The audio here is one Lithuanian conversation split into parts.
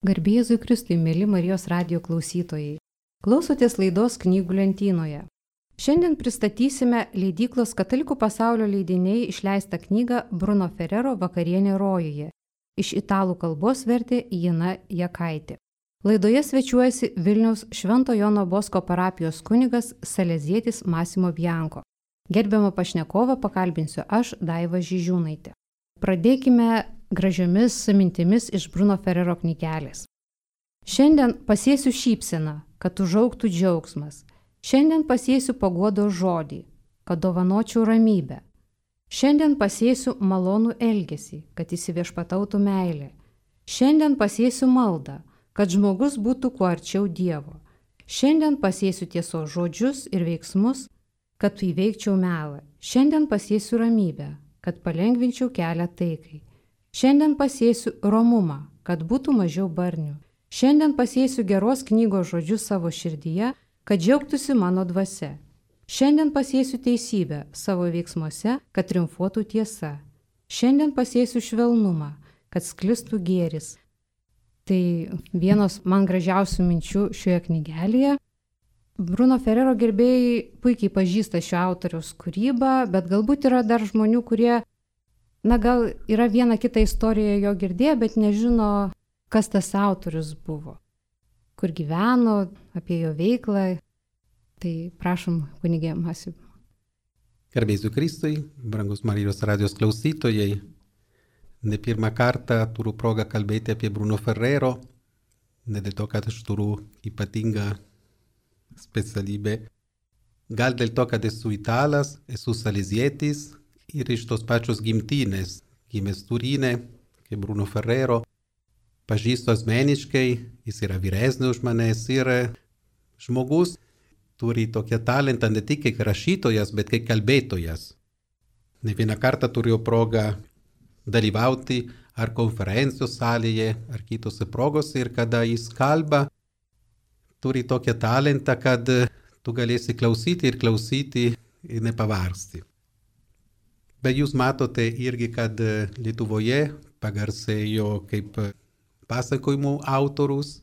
Garbė Jėzui Kristui, mėly Marijos radijo klausytojai. Klausotės laidos Knygų lentynoje. Šiandien pristatysime leidyklos Katalikų pasaulio leidiniai išleistą knygą Bruno Ferrero Vakarienė rojuje. Iš italų kalbos vertė Jina Jakaitė. Laidoje svečiuojasi Vilniaus Švento Jono Bosko parapijos kunigas Salezietis Massimo Bianco. Gerbiamą pašnekovą pakalbinsiu aš, Daiva Žižiūnaitė. Pradėkime gražiomis mintimis iš Bruno Ferrero knygelės. Šiandien pasėsiu šypseną, kad užaugtų džiaugsmas. Šiandien pasėsiu paguodos žodį, kad dovanočiau ramybę. Šiandien pasėsiu malonų elgesį, kad įsiviešpatautų meilė. Šiandien pasėsiu maldą, kad žmogus būtų kuo arčiau Dievo. Šiandien pasėsiu tiesos žodžius ir veiksmus, kad įveikčiau melą. Šiandien pasėsiu ramybę, kad palengvinčiau kelią taikai. Šiandien pasėsiu romumą, kad būtų mažiau barnių. Šiandien pasėsiu geros knygos žodžius savo širdyje, kad džiaugtųsi mano dvasia. Šiandien pasėsiu teisybę savo veiksmuose, kad triumfuotų tiesa. Šiandien pasėsiu švelnumą, kad sklistų gėris. Tai vienos man gražiausių minčių šioje knygelėje. Bruno Ferrero gerbėjai puikiai pažįsta šio autoriaus kūrybą, bet galbūt yra dar žmonių, kurie gal yra viena kita istorija jo girdėję, bet nežino, kas tas autorius buvo, kur gyveno, apie jo veiklą. Tai prašom, kunigė Massimo. Garbė Jėzui Kristui, brangus Marijos radijos klausytojai. Ne pirmą kartą turiu progą kalbėti apie Bruno Ferrero, ne dėl to, kad aš turiu ypatingą specialybę. Gal dėl to, kad esu italas, esu salezietis, ir iš tos pačios gimtinės, gimęs Turine, kaip Bruno Ferrero, pažįstu asmeniškai, jis yra vyresnis už manęs ir žmogus turi tokią talentą ne tik kaip rašytojas, bet kaip kalbėtojas. Ne vieną kartą turėjau progą dalyvauti ar konferencijos salėje, ar kitose progose ir kada jis kalba, turi tokią talentą, kad tu galėsi klausyti ir nepavargsti. Bet jūs matote irgi, kad Lietuvoje pagarsėjo kaip pasakojimų autorius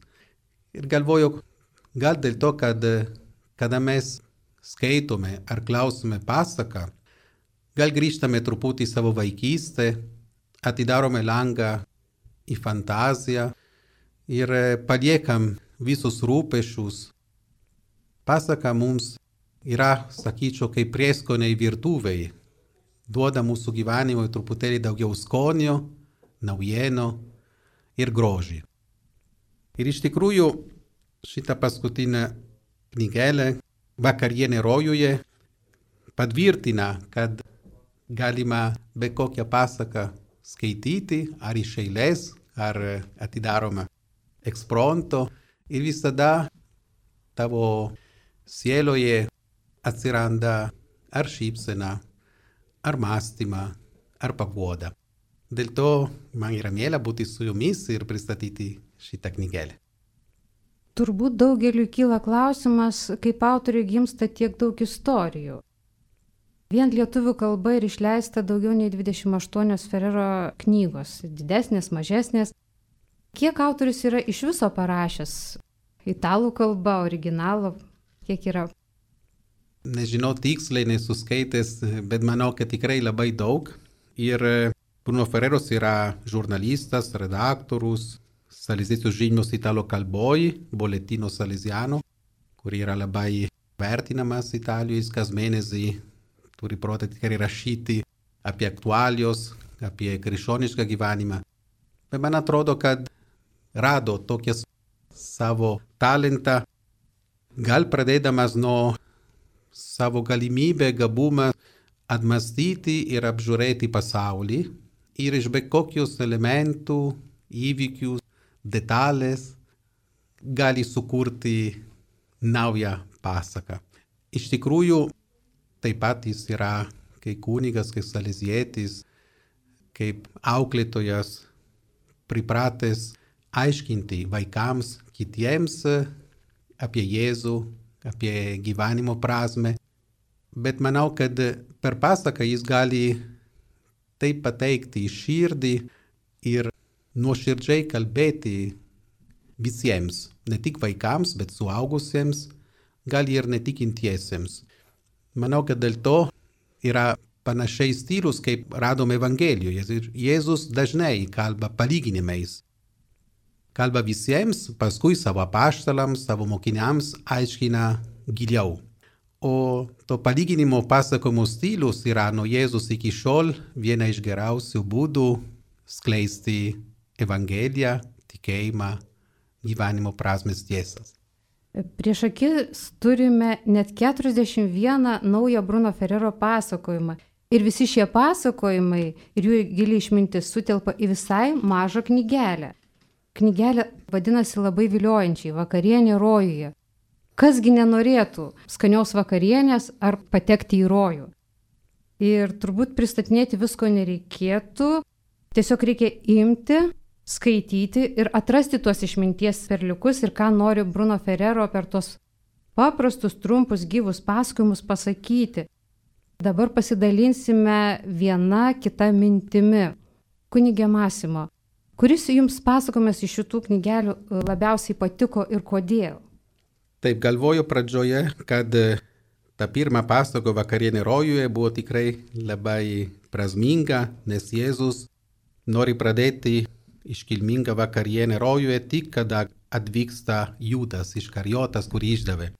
ir galvoju, gal dėl to, kad kada mes skaitome ar klausome pasaką, gal grįžtame truputį į savo vaikystę, atidarome langą į fantaziją ir paliekam visus rūpesčius. Pasaka mums yra, sakyčiau, kaip prieskoniai virtuvei. Duoda mūsų gyvenimui truputėlį daugiau skonio, naujienų ir grožį. Ir iš tikrųjų šitą paskutinę knygelę Vakarienė rojuje patvirtina, kad galima be kokią pasaką skaityti ar iš eilės, ar atidaroma ekspromto ir visada tavo sieloje atsiranda ar šypsena, ar mąstymą, ar paguoda. Dėl to man yra miela būti su jumis ir pristatyti šitą knygelę. Turbūt daugeliui kyla klausimas, kaip autoriui gimsta tiek daug istorijų. Vien lietuvių kalba ir išleista daugiau nei 28 Ferrero knygos, didesnės, mažesnės. Kiek autorius yra iš viso parašęs? Italų kalba, originalo, kiek yra? Nežinau tiksliai, nesuskaitęs, bet manau, kad tikrai labai daug. Ir Bruno Ferrero yra žurnalistas, redaktorius, saleziečių žinios italų kalboj, Boletino Salesiano, kur yra labai vertinamas Italijos, kas mėnesį turi protą tikrai rašyti apie aktualijos, apie krikščionišką gyvenimą. Bet man atrodo, kad rado tokią savo talentą, gal pradėdamas nuo savo galimybę, gabumą atmastyti ir apžiūrėti pasaulį ir iš bet kokius elementų, įvykių, detalės gali sukurti naują pasaką. Iš tikrųjų, taip pat jis yra kaip kunigas, kaip salezietis, kaip auklėtojas, pripratęs aiškinti vaikams, kitiems apie Jėzų, apie gyvenimo prasmę. Bet manau, kad per pasaką jis gali taip pateikti į širdį ir nuoširdžiai kalbėti visiems, ne tik vaikams, bet suaugusiems, gal ir netikintiesiems. Manau, kad dėl to yra panašiai stilius, kaip radom Evangelijoje. Ir Jėzus dažnai kalba palyginimais. Kalba visiems, paskui savo apaštalams, savo mokiniams aiškina giliau. O to palyginimo pasakojimo stilius yra nuo Jėzus iki šiol viena iš geriausių būdų skleisti Evangeliją, tikėjimą, gyvenimo prasmės tiesas. Prieš akis turime net 41 naują Bruno Ferrero pasakojimą. Ir visi šie pasakojimai ir jų gili išmintis sutelpa į visai mažą knygelę. Knygelė vadinasi labai viliojančiai Vakarienė rojuje. Kasgi nenorėtų skanios vakarienės ar patekti į rojų. Ir turbūt pristatinėti visko nereikėtų, tiesiog reikia imti, skaityti ir atrasti tuos išminties perliukus ir ką nori Bruno Ferrero per tuos paprastus, trumpus, gyvus pasakojimus pasakyti. Dabar pasidalinsime viena kita mintimi. Kunige Masimo, kuris jums pasakojimas iš šitų knygelių labiausiai patiko ir kodėl? Taip, galvoju pradžioje, kad ta pirma pasako Vakarienė rojuje buvo tikrai labai prasminga, nes Jėzus nori pradėti iškilmingą vakarienę rojuje tik kada atvyksta Judas Iškarijotas, kurį išdavė.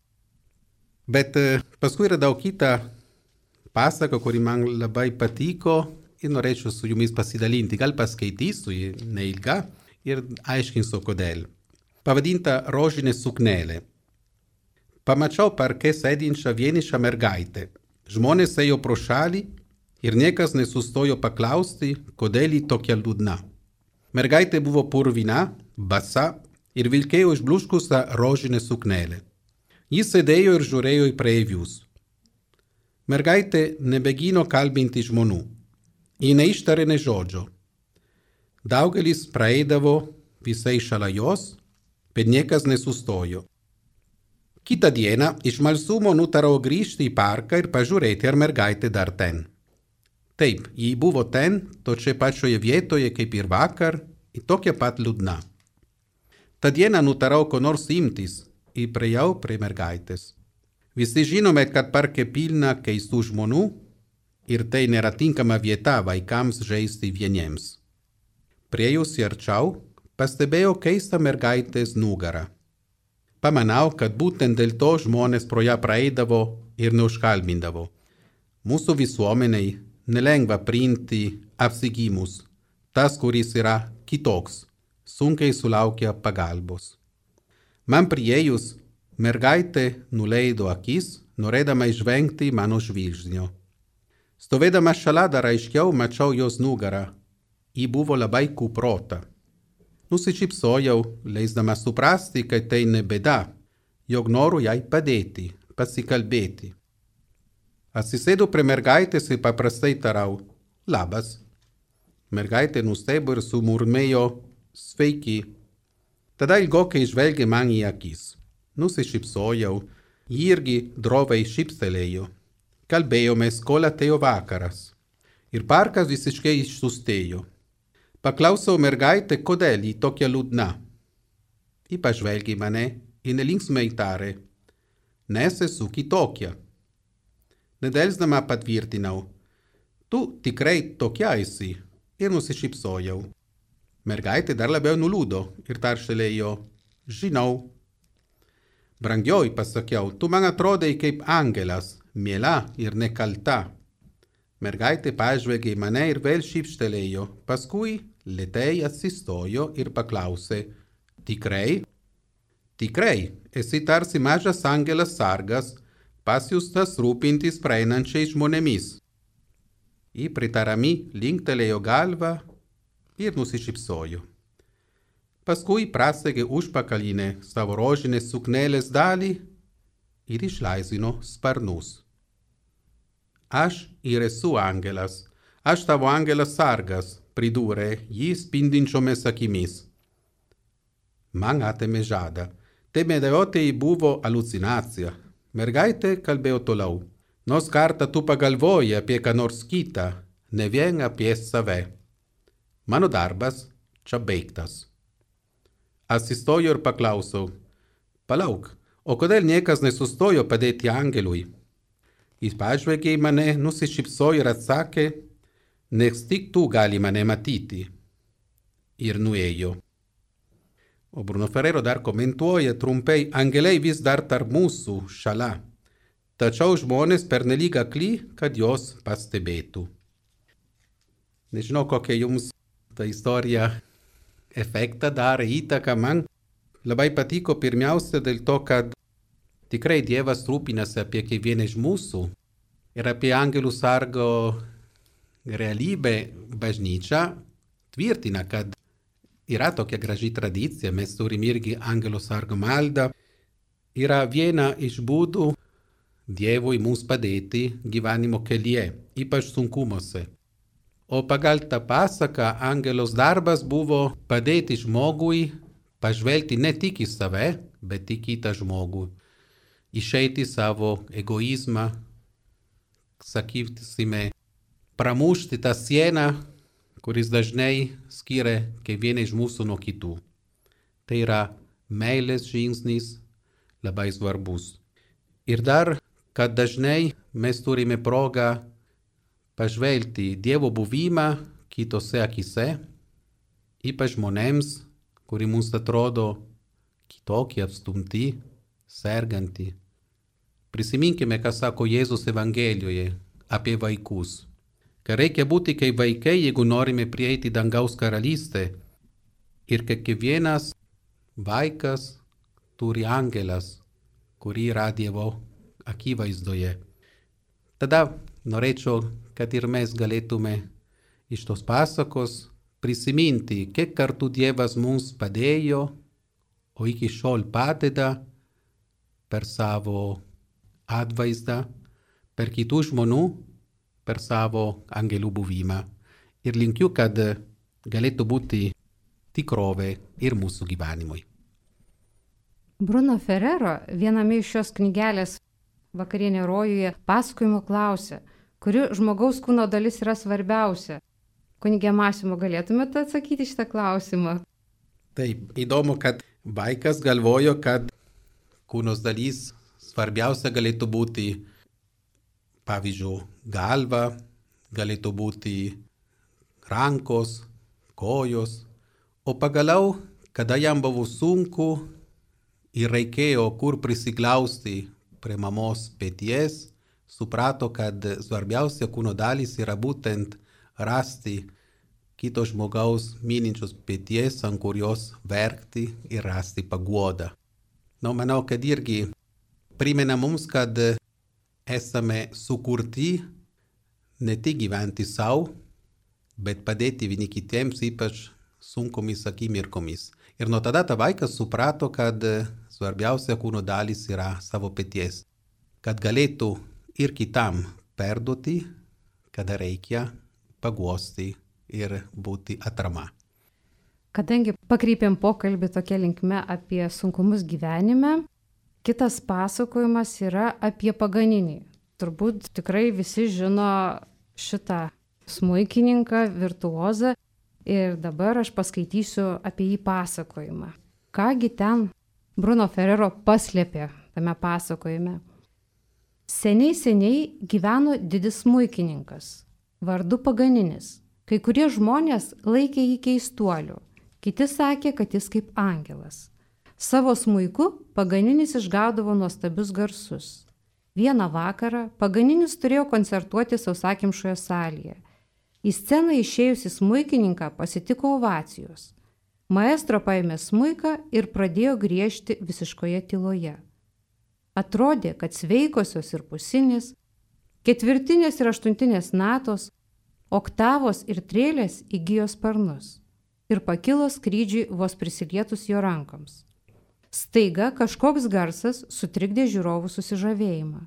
Bet paskui yra daug kita pasaka, kuri man labai patiko ir norėčiau su jumis pasidalinti. Gal paskaitysiu, neilga, ir aiškinsiu kodėl. Pavadinta Rožinė suknelė. Pamačiau parke sėdinčią vienišą mergaitę. Žmonės ėjo pro šalį ir niekas nesustojo paklausti, kodėl ji tokia liūdna. Mergaitė buvo purvina, basa ir vilkėjo išbluškusią rožinę suknelę. Jis sėdėjo ir žiūrėjo į praeivius. Mergaitė nebegino kalbinti žmonių. Ji neištarė nė žodžio. Daugelis praeidavo visai šalia jos, bet niekas nesustojo. Kitą dieną iš smalsumo nutarau grįžti į parką ir pažiūrėti, ar mergaitė dar ten. Taip, ji buvo ten, točioje pačioje vietoje kaip ir vakar, ir tokia pat liūdna. Ta dieną nutarau ko nors imtis ir priėjau prie mergaitės. Visi žinome, kad parke pilna keistų žmonių ir tai nėra tinkama vieta vaikams žaisti vieniems. Priėjusi arčiau, pastebėjau keistą mergaitės nugarą. Pamanau, kad būtent dėl to žmonės pro ją praeidavo ir neužkalbindavo. Mūsų visuomeniai nelengva priimti apsigimus. Tas, kuris yra kitoks, sunkiai sulaukia pagalbos. Man priėjus, mergaitė nuleido akis, norėdama išvengti mano žvilgsnio. Stovėdama šalia dar aiškiau mačiau jos nugarą. Ji buvo labai kuprota. Nusišypsojau, leisdama suprasti, kad tai ne bėda, jog noriu jai padėti, pasikalbėti. Atsisėdu prie mergaitės ir paprastai tarau, labas. Mergaitė nustebo ir sumurmėjo, sveiki. Tada ilgokai žvelgė man į akis. Nusišypsojau, ji irgi droviai šyptelėjo. Kalbėjomės, kol atėjo vakaras. Ir parkas visiškai išsustėjo. Paklausiau mergaitę, kodėl ji tokia liūdna. Ji pažvelgė mane ir nelinksmai tarė, nes esu kitokia. Nedelsdama patvirtinau, tu tikrai tokia esi, ir nusišypsojau. Mergaitė dar labiau nuliūdo ir tarštelėjo, žinau. Brangioji, pasakiau, tu man atrodai kaip angelas, miela ir nekalta. Mergaitė pažvelgė mane ir vėl šyptelėjo, paskui lėtai atsistojo ir paklausė, tikrai? Tikrai, esi tarsi mažas angelas sargas, pasiųstas rūpintis praeinančiais žmonėmis. Ji pritarami linktelėjo galvą ir nusišypsojo. Paskui prasegė užpakalinę savo rožinės suknelės dalį ir išlaisvino sparnus. Aš ir esu angelas, aš tavo angelas sargas, pridūrė jį spindinčiomis akimis. Man atėmė žadą. Tai medėjotei buvo halucinacija. Mergaitė kalbėjo toliau. Nors kartą tu pagalvoji apie ką nors kitą, ne vien apie save. Mano darbas čia baigtas. Atsistoju ir paklausau, palauk, o kodėl niekas nesustojo padėti angelui? Jis pažvelgė į mane, nusišypsojo ir atsakė, nes tik tu gali mane matyti. Ir nuėjo. O Bruno Ferrero dar komentuoja trumpai, angeliai vis dar tarp mūsų šalia, tačiau žmonės pernelyg akli, kad jos pastebėtų. Nežinau, kokia jums ta istorija efektą darė, įtaką man. Labai patiko pirmiausia dėl to, kad tikrai Dievas rūpinasi apie kiekvieną iš mūsų ir apie angelų sargo realybę bažnyčia tvirtina, kad yra tokia graži tradicija, mes turim irgi angelo sargo maldą. Yra viena iš būdų Dievui mums padėti gyvenimo kelyje, ypač sunkumuose. O pagal tą pasaką angelos darbas buvo padėti žmogui pažvelgti ne tik į save, bet į kitą žmogų. Išeiti savo egoizmą, sakysime, pramušti tą sieną, kuris dažnai skiria kiekvieną iš mūsų nuo kitų. Tai yra meilės žingsnis labai svarbus. Ir dar, kad dažnai mes turime progą pažvelgti Dievo buvimą kitose akise, ypač žmonėms, kuri mums atrodo kitokie, atstumti, serganti. Prisiminkime, ką sako Jėzus Evangelijoje apie vaikus. Kad reikia būti kaip vaikai, jeigu norime prieiti dangaus karalystę. Ir kad kiekvienas vaikas turi angelas, kuri yra Dievo akivaizdoje. Tada norėčiau, kad ir mes galėtume iš tos pasakos prisiminti, kiek kartų Dievas mums padėjo, o iki šiol padeda per savo atvaizdą, per kitų žmonių, per savo angelų buvimą. Ir linkiu, kad galėtų būti tikrovė ir mūsų gyvenimui. Bruno Ferrero viename iš šios knygelės Vakarienė rojuje pasakojimo klausia, kuri žmogaus kūno dalis yra svarbiausia. Kunige Masimo, galėtumėte atsakyti šitą klausimą? Taip, įdomu, kad vaikas galvojo, kad kūnos dalis svarbiausia galėtų būti, pavyzdžiui, galva, galėtų būti rankos, kojos, o pagaliau, kada jam buvo sunku ir reikėjo kur prisiglausti prie mamos peties, suprato, kad svarbiausia kūno dalis yra būtent rasti kito žmogaus mylinčios peties, ant kurios verkti ir rasti paguodą. Manau, kad irgi primena mums, kad esame sukurti ne tik gyventi savo, bet padėti vieni kitiems, ypač sunkomis akimirkomis. Ir nuo tada ta vaikas suprato, kad svarbiausia kūno dalis yra savo peties, kad galėtų ir kitam perduoti, kada reikia paguosti ir būti atrama. Kadangi pakreipėm pokalbį tokia linkme apie sunkumus gyvenime, kitas pasakojimas yra apie Paganinį. Turbūt tikrai visi žino šitą smuikininką, virtuozą ir dabar aš paskaitysiu apie jį pasakojimą. Kągi ten Bruno Ferrero paslėpė tame pasakojime. Seniai gyveno didis smuikininkas, vardu Paganinis. Kai kurie žmonės laikė jį keistuoliu, kiti sakė, kad jis kaip angelas. Savo smuiku Paganinis išgaudavo nuostabius garsus. Vieną vakarą Paganinis turėjo koncertuoti sausakimšoje salėje. Į sceną išėjusi smuikininką pasitiko ovacijos. Maestro paėmė smuiką ir pradėjo griežti visiškoje tyloje. Atrodė, kad sveikosios ir pusinės, ketvirtinės ir aštuntinės natos, oktavos ir trėlės įgijo sparnus ir pakilo skrydžiui vos prisilietus jo rankoms. Staiga kažkoks garsas sutrikdė žiūrovų susižavėjimą.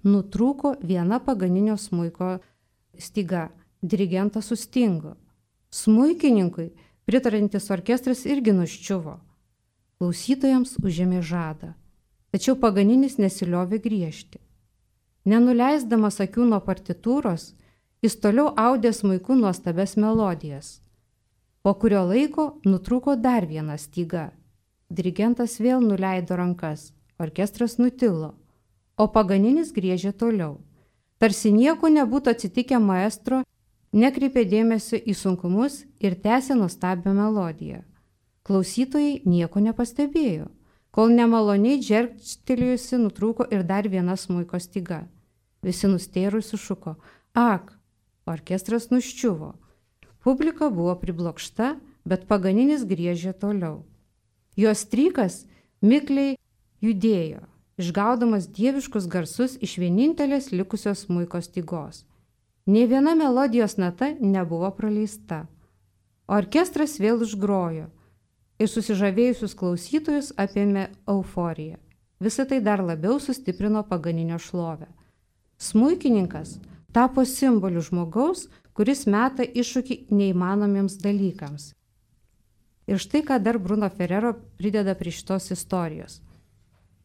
Nutrūko viena Paganinio smuiko styga, dirigentas sustingo. Smuikininkui pritarantis orkestras irgi nuščiuvo. Klausytojams užėmė žadą. Tačiau Paganinis nesiliovė griežti. Nenuleisdamas akių nuo partitūros, jis toliau audė smuiku nuostabias melodijas. Po kurio laiko nutrūko dar viena styga Dirigentas vėl nuleido rankas, orkestras nutilo, o Paganinis griežė toliau. Tarsi nieko nebūtų atsitikę, maestro nekreipė dėmesio į sunkumus ir tęsė nuostabią melodiją. Klausytojai nieko nepastebėjo, kol nemaloniai džergčtelėjusi nutrūko ir dar viena smuiko styga. Visi nustėrusi šuko: ak! Orkestras nuščiuvo. Publika buvo priblokšta, bet Paganinis griežė toliau. Jos strykas mikliai judėjo, išgaudamas dieviškus garsus iš vienintelės likusios smuiko stygos. Nė viena melodijos nata nebuvo praleista. Orkestras vėl užgrojo ir susižavėjusius klausytojus apėmė euforija. Visą tai dar labiau sustiprino Paganinio šlovę. Smuikininkas tapo simboliu žmogaus, kuris meta iššūkį neįmanomiems dalykams. Ir štai ką dar Bruno Ferrero prideda prie šitos istorijos.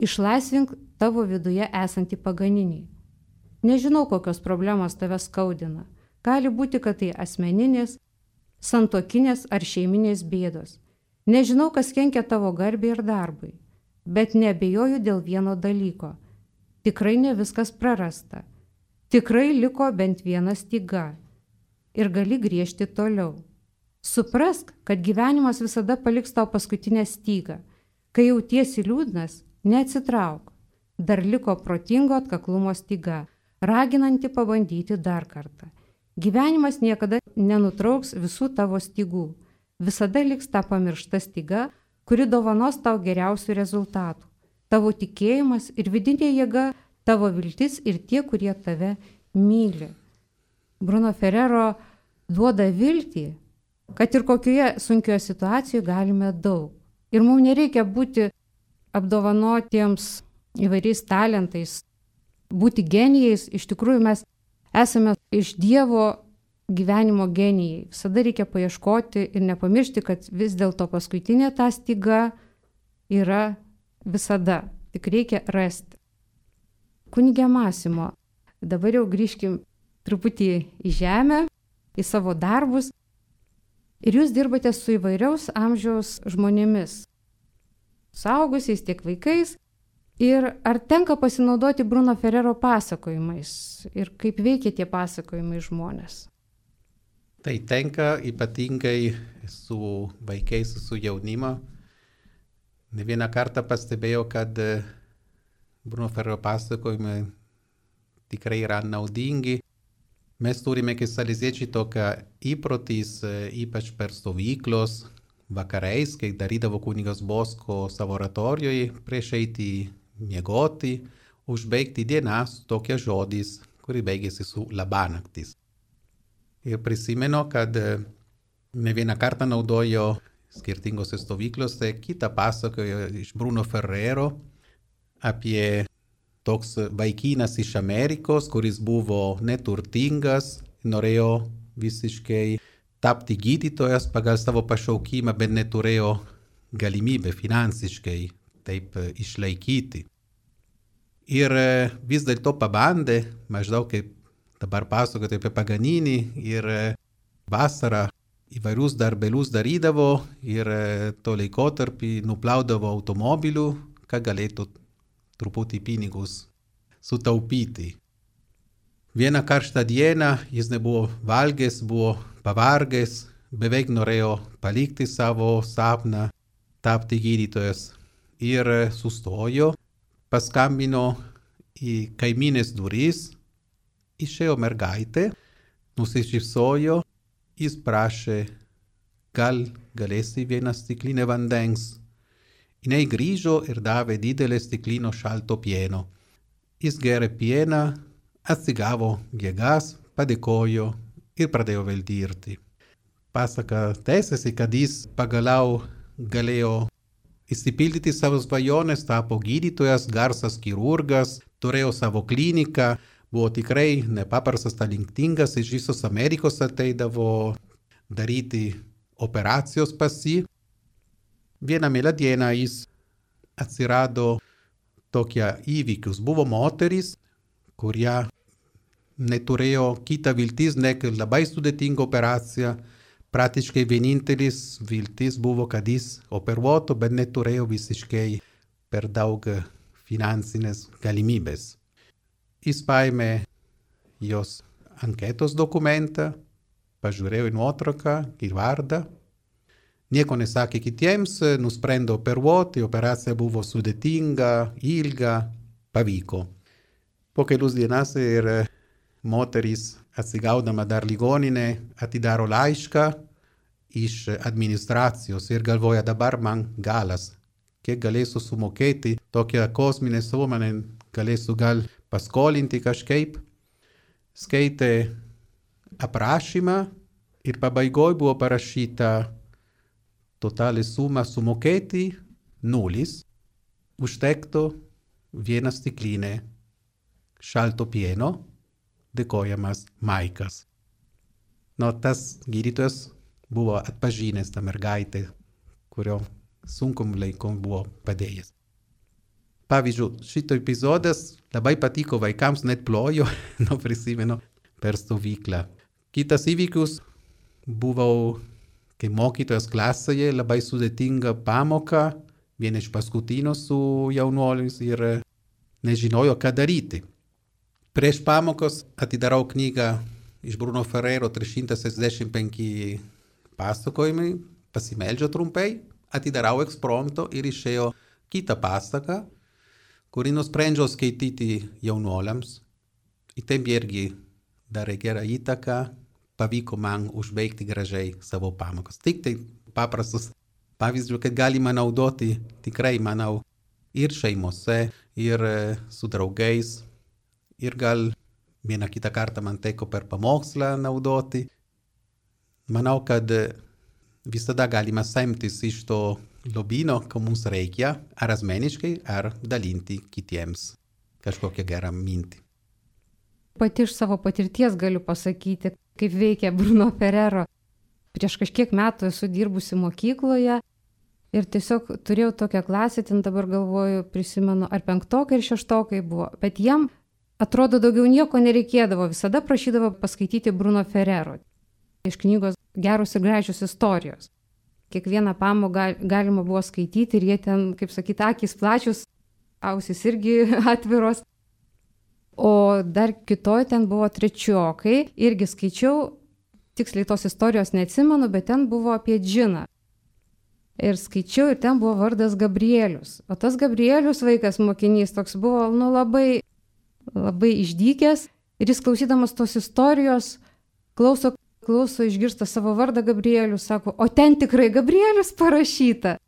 Išlaisvink tavo viduje esantį Paganinį. Nežinau, kokios problemos tave skaudina. Gali būti, kad tai asmeninės, santuokinės ar šeiminės bėdos. Nežinau, kas kenkia tavo garbei ir darbui, bet neabejoju dėl vieno dalyko. Tikrai ne viskas prarasta. Tikrai liko bent viena styga. Ir gali griežti toliau. Suprask, kad gyvenimas visada paliks tau paskutinę stygą. Kai jautiesi liūdnas, neatsitrauk. Dar liko protingo atkaklumo styga, raginanti pabandyti dar kartą. Gyvenimas niekada nenutrauks visų tavo stygų. Visada liks ta pamiršta styga, kuri dovanos tau geriausių rezultatų. Tavo tikėjimas ir vidinė jėga, tavo viltis ir tie, kurie tave myli. Bruno Ferrero duoda viltį, kad ir kokioje sunkioje situacijoje galime daug. Ir mums nereikia būti apdovanotiems įvairiais talentais, būti genijais. Iš tikrųjų mes esame iš Dievo gyvenimo genijai. Visada reikia paieškoti ir nepamiršti, kad vis dėlto paskutinė ta styga yra visada. Tik reikia rasti. Kunige Masimo, dabar jau grįžkim truputį į žemę, į savo darbus. Ir jūs dirbate su įvairiaus amžiaus žmonėmis, suaugusiais tiek vaikais. Ir ar tenka pasinaudoti Bruno Ferrero pasakojimais ir kaip veikia tie pasakojimai žmonės? Tai tenka ypatingai su vaikais, su jaunimo. Ne vieną kartą pastebėjau, kad Bruno Ferrero pasakojimai tikrai yra naudingi. Mes turime kaip saleziečiai tokią įprotys, ypač per stovyklos vakarais, kai darydavo kunigas Bosko savo oratorijoje prieš eiti miegoti, užbaigti dieną su tokia žodis, kuri baigėsi su labanaktis. Ir prisimenu, kad ne vieną kartą naudojo skirtingose stovyklose kitą pasakojo iš Bruno Ferrero apie toks vaikinas iš Amerikos, kuris buvo neturtingas, norėjo visiškai tapti gydytojas pagal savo pašaukimą, bet neturėjo galimybę finansiškai taip išlaikyti. Ir vis dėlto pabandė, maždaug kaip dabar pasakoti apie Paganinį, ir vasarą įvairius darbelius darydavo ir to laikotarpį nuplaudavo automobilių, kad galėtų truputį pinigus sutaupyti. Vieną karštą dieną jis nebuvo valgęs, buvo pavargęs, beveik norėjo palikti savo sapną, tapti gydytojas. Ir sustojo, paskambino į kaimynės duris, išėjo mergaitė, nusišypsojo, jis prašė, gal galėsi vieną stiklinę vandens. Jinai grįžo ir davė didelę stiklino šalto pieno. Jis gėrė pieną, atsigavo jėgas, padėkojo ir pradėjo vėl dirbti. Pasaka tęsiasi, kad jis pagaliau galėjo išsipildyti savo svajonės, tapo gydytojas, garsas chirurgas, turėjo savo kliniką, buvo tikrai nepaprastas talentingas, iš visos Amerikos ateidavo daryti operacijos pas jį. Vieną mielą dieną jis atsirado tokie įvykius. Buvo moteris, kurie neturėjo kitą viltis, nek labai sudėtingą operaciją praktiškai vienintelis viltis buvo, kad jis operuotų, bet neturėjo visiškai per daug finansinės galimybės. Jis paėmė jos anketos dokumentą, pažiūrėjo į nuotrauką, į vardą. Nieko nesakė kitiems, nusprendė operuoti, operacija buvo sudėtinga, ilga, pavyko. Po kelius dienas ir moteris atsigaudama dar ligoninė atidaro laišką iš administracijos ir galvoja, dabar man galas, kiek galėsiu sumokėti tokią kosminę sumą, galėsiu gal paskolinti kažkaip. Skaitė aprašymą ir pabaigoj buvo parašyta totalė suma sumokėti 0, užtektų vieną stiklinę šalto pieno, dėkojamas Maikas. Tas gydytojas buvo atpažinęs tą mergaitę, kurio sunkum laikom buvo padėjęs. Pavyzdžiui, šito epizodas labai patiko vaikams, net plojo, prisimenu, per stovyklą. Kitas įvykius buvau, kai mokytojas klasėje, labai sudėtinga pamoka, viena iš paskutinių su jaunuoliais ir nežinojo, ką daryti. Prieš pamokos atidarau knygą iš Bruno Ferrero 365 pasakojimai, pasimeldžiu trumpai, atidarau ekspromto ir išėjo kitą pasaką, kurį nusprendžiau skaityti jaunuoliams. Į tem irgi darė gerą įtaką, pavyko man užbaigti gražiai savo pamokas. Tik tai paprastus pavyzdžių, kad galima naudoti tikrai, manau, ir šeimose, ir su draugais. Ir gal vieną kitą kartą man teko per pamokslą naudoti. Manau, kad visada galima semtis iš to lobyno, ko mums reikia, ar asmeniškai, ar dalinti kitiems kažkokią gerą mintį. Pati iš savo patirties galiu pasakyti, kaip veikia Bruno Ferrero. Prieš kažkiek metų esu dirbusi mokykloje ir tiesiog turėjau tokią klasę, ten dabar galvoju, prisimenu, ar 5 ir 6 buvo, bet jiem atrodo daugiau nieko nereikėdavo, visada prašydavo paskaityti Bruno Ferrero. Iš knygos Geros ir gražios istorijos. Kiekvieną pamoką galima buvo skaityti ir jie ten, kaip sakyti, akys plačius, ausys irgi atviros. O dar kitoj ten buvo 3, irgi skaičiau, tiksliai tos istorijos neatsimenu, bet ten buvo apie džiną. Ir skaičiau, ir ten buvo vardas Gabrielius. O tas Gabrielius vaikas, mokinys, toks buvo, labai išdykęs. Ir jis klausydamas tos istorijos, klauso, išgirsta savo vardą Gabrielius, sako, o ten tikrai Gabrielius parašyta.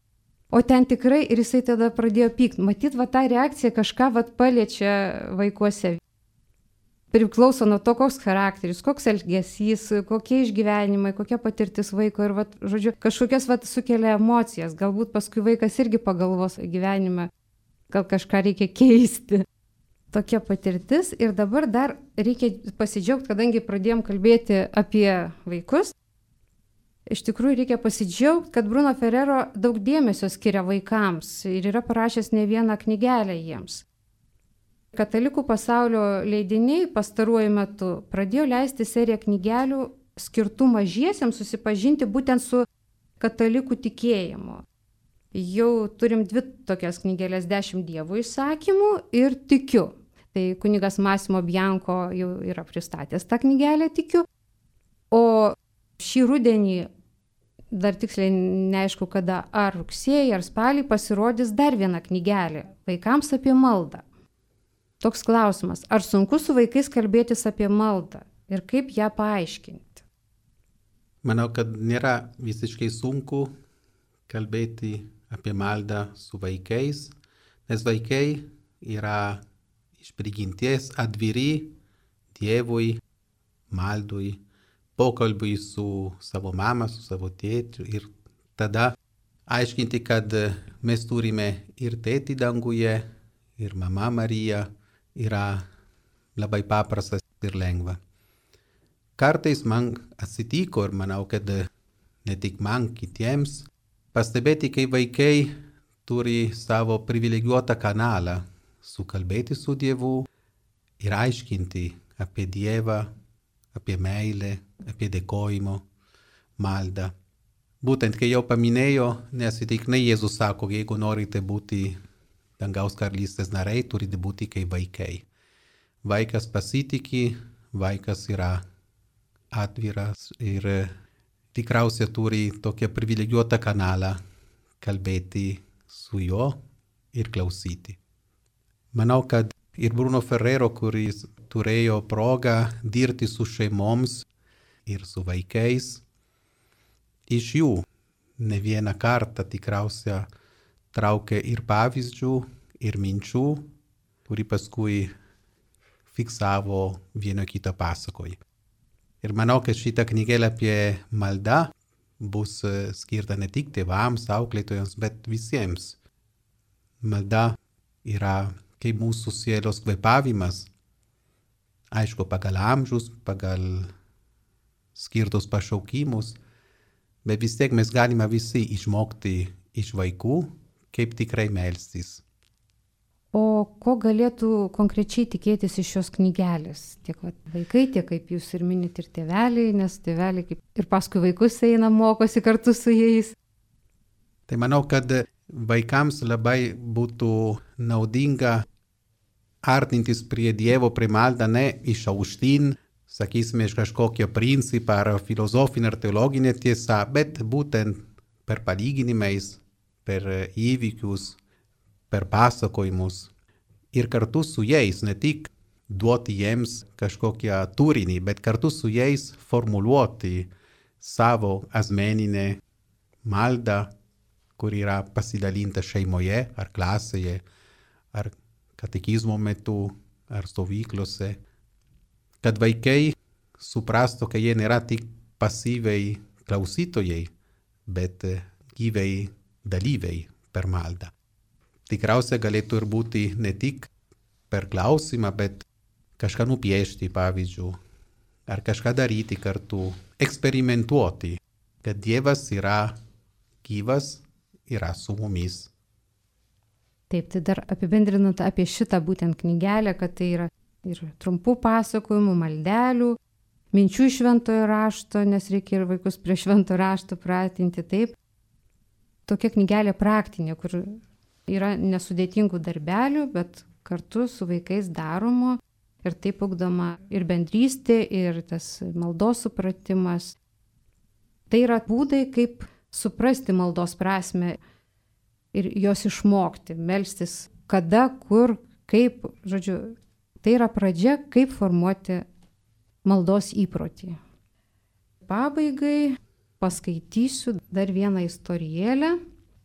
O ten tikrai, ir jisai tada pradėjo pykti. Matyt, ta reakcija kažką paliečia vaikuose. Priklauso nuo to, koks charakteris, koks elgesys, kokie išgyvenimai, kokia patirtis vaiko. Ir, žodžiu, kažkokias sukelia emocijas. Galbūt paskui vaikas irgi pagalvos gyvenime, gal kažką reikia keisti. Tokia patirtis. Ir dabar dar reikia pasidžiaugti, kadangi pradėjom kalbėti apie vaikus. Iš tikrųjų reikia pasidžiaugti, kad Bruno Ferrero daug dėmesio skiria vaikams ir yra parašęs ne vieną knygelę jiems. Katalikų pasaulio leidiniai pastaruoju metu pradėjo leisti seriją knygelių skirtų mažiesiems susipažinti būtent su katalikų tikėjimu. Jau turim 2 tokias knygelės 10 Dievo įsakymų ir Tikiu. Tai kunigas Massimo Bianco jau yra pristatęs tą knygelę Tikiu. O šį rudenį, dar tiksliai neaišku kada, ar rugsėjį, ar spalį pasirodys dar viena knygelė vaikams apie maldą. Toks klausimas, ar sunku su vaikais kalbėtis apie maldą ir kaip ją paaiškinti? Manau, kad nėra visiškai sunku kalbėti apie maldą su vaikais, nes vaikai yra iš prigimties atviri Dievui, maldui, pokalbiui su savo mama, su savo tėčiu ir tada aiškinti, kad mes turime ir tėtį danguje, ir mama Marija yra labai paprastas ir lengva. Kartais man atsitiko ir manau, kad ne tik man, kitiems, pastebėti, kai vaikai turi savo privilegijuotą kanalą sukalbėti su Dievu ir aiškinti apie Dievą, apie meilę, apie dėkojimo. maldą. Būtent, kai jau paminėjo, nesitiknai Jėzus sako, jeigu norite būti dangaus karalystės nariai, turite būti kaip vaikai. Vaikas pasitiki, vaikas yra atviras ir tikriausiai turi tokią privilegijuotą kanalą kalbėti su juo ir klausyti. Manau, kad ir Bruno Ferrero, kuris turėjo progą dirbti su šeimoms ir su vaikais, iš jų ne vieną kartą tikriausiai traukė ir pavyzdžių, ir minčių, kurį paskui fiksavo vieno kito pasakoj. Ir manau, kad šitą knygėlę apie maldą bus skirta ne tik tėvams, auklėtojams, bet visiems. Malda yra kaip mūsų sielos kvėpavimas, aišku, pagal amžius, pagal skirtus pašaukimus, bet vis tiek mes galime visi išmokti iš vaikų, kaip tikrai melstis. O ko galėtų konkrečiai tikėtis iš šios knygelės? Tiek vaikai, tiek kaip jūs ir minit ir tėveliai, nes tėveliai kaip ir paskui vaikus eina, mokosi kartu su jais. Tai manau, kad vaikams labai būtų naudinga artintis prie Dievo, prie maldą, ne iš aukštyn, sakysime, iš kažkokio principą ar filosofinę ar teologinę tiesą, bet būtent per palyginimais, per įvykius, per pasakojimus ir kartu su jais, ne tik duoti jiems kažkokią turinį, bet kartu su jais formuluoti savo asmeninę maldą, kur yra pasidalinta šeimoje ar klasėje, ar katekizmo metu, ar stovyklose, kad vaikai suprastų, kad jie nėra tik pasyviai klausytojai, bet gyvai dalyviai per maldą. Tikriausiai galėtų ir būti ne tik per klausimą, bet kažką nupiešti, pavyzdžiui, ar kažką daryti kartu, eksperimentuoti, kad Dievas yra gyvas, yra su mumis. Taip, tai dar apibendrinant apie šitą būtent knygelę, kad tai yra ir trumpų pasakojimų, maldelių, minčių iš šventojo rašto, nes reikia ir vaikus prie šventojo rašto pratinti, taip. Tokia knygelė praktinė, kur yra nesudėtingų darbelių, bet kartu su vaikais daromo ir taip ugdoma ir bendrystė, ir tas maldos supratimas. Tai yra būdai, kaip suprasti maldos prasme ir jos išmokti, melstis kada, kur, kaip, žodžiu, tai yra pradžia, kaip formuoti maldos įprotį. Pabaigai paskaitysiu dar vieną istorijėlę,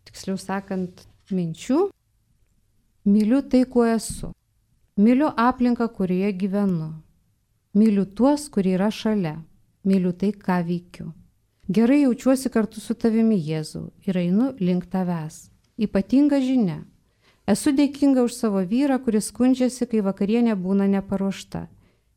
tiksliau sakant, minčių. Myliu tai, kuo esu. Myliu aplinką, kurioje gyvenu. Myliu tuos, kurie yra šalia. Myliu tai, ką veikiu. Gerai jaučiuosi kartu su tavimi, Jėzau, ir einu link tavęs. Ypatinga žinia. Esu dėkinga už savo vyrą, kuris skundžiasi, kai vakarienė būna neparuošta,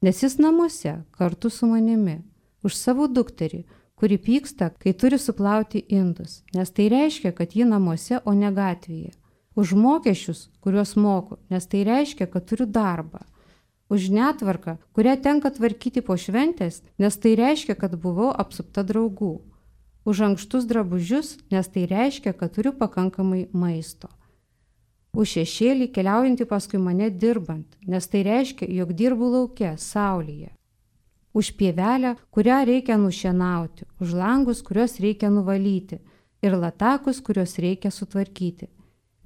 nes jis namuose kartu su manimi. Už savo dukterį, kuri pyksta, kai turi suplauti indus, nes tai reiškia, kad ji namuose, o ne gatvėje. Už mokesčius, kuriuos moku, nes tai reiškia, kad turiu darbą. Už netvarką, kurią tenka tvarkyti po šventės, nes tai reiškia, kad buvau apsupta draugų. Už ankštus drabužius, nes tai reiškia, kad turiu pakankamai maisto. Už šešėlį keliaujantį paskui mane dirbant, nes tai reiškia, jog dirbu lauke, saulėje. Už pievelę, kurią reikia nušienauti, už langus, kuriuos reikia nuvalyti, ir latakus, kuriuos reikia sutvarkyti.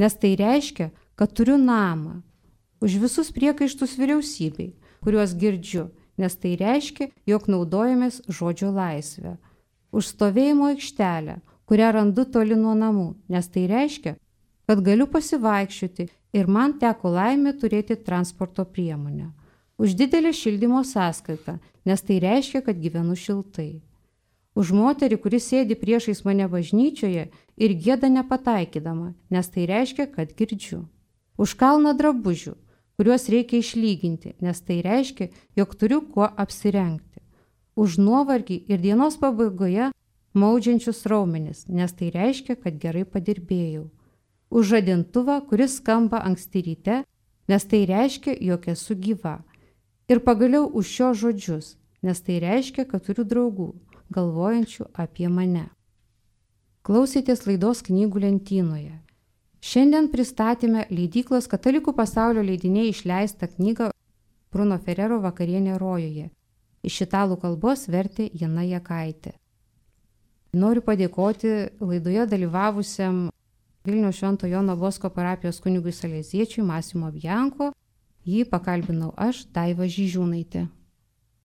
Nes tai reiškia, kad turiu namą. Už visus priekaištus vyriausybei, kuriuos girdžiu, nes tai reiškia, jog naudojamės žodžio laisvę. Už stovėjimo aikštelę, kurią randu toli nuo namų, nes tai reiškia, kad galiu pasivaikščioti ir man teko laimė turėti transporto priemonę. Už didelę šildymo sąskaitą, nes tai reiškia, kad gyvenu šiltai. Už moterį, kuris sėdi priešais mane bažnyčioje ir gieda nepataikydama, nes tai reiškia, kad girdžiu. Už kalną drabužių, kuriuos reikia išlyginti, nes tai reiškia, jog turiu kuo apsirengti. Už nuovargį ir dienos pabaigoje maudžiančius raumenis, nes tai reiškia, kad gerai padirbėjau. Už žadintuvą, kuris skamba anksti ryte, nes tai reiškia, jog esu gyva. Ir pagaliau už šios žodžius, nes tai reiškia, kad turiu draugų, galvojančių apie mane. Klausėtės laidos Knygų lentynoje. Šiandien pristatėme leidyklos Katalikų pasaulio leidiniai išleistą knygą Bruno Ferrero Vakarienė rojuje. Iš italų kalbos vertė Jana Jakaitė. Noriu padėkoti laidoje dalyvavusiam Vilniaus Švento Jono Bosko parapijos kunigui saleziečiui Massimo Bianco. Jį pakalbinau aš, Daiva Žyžiūnaitė.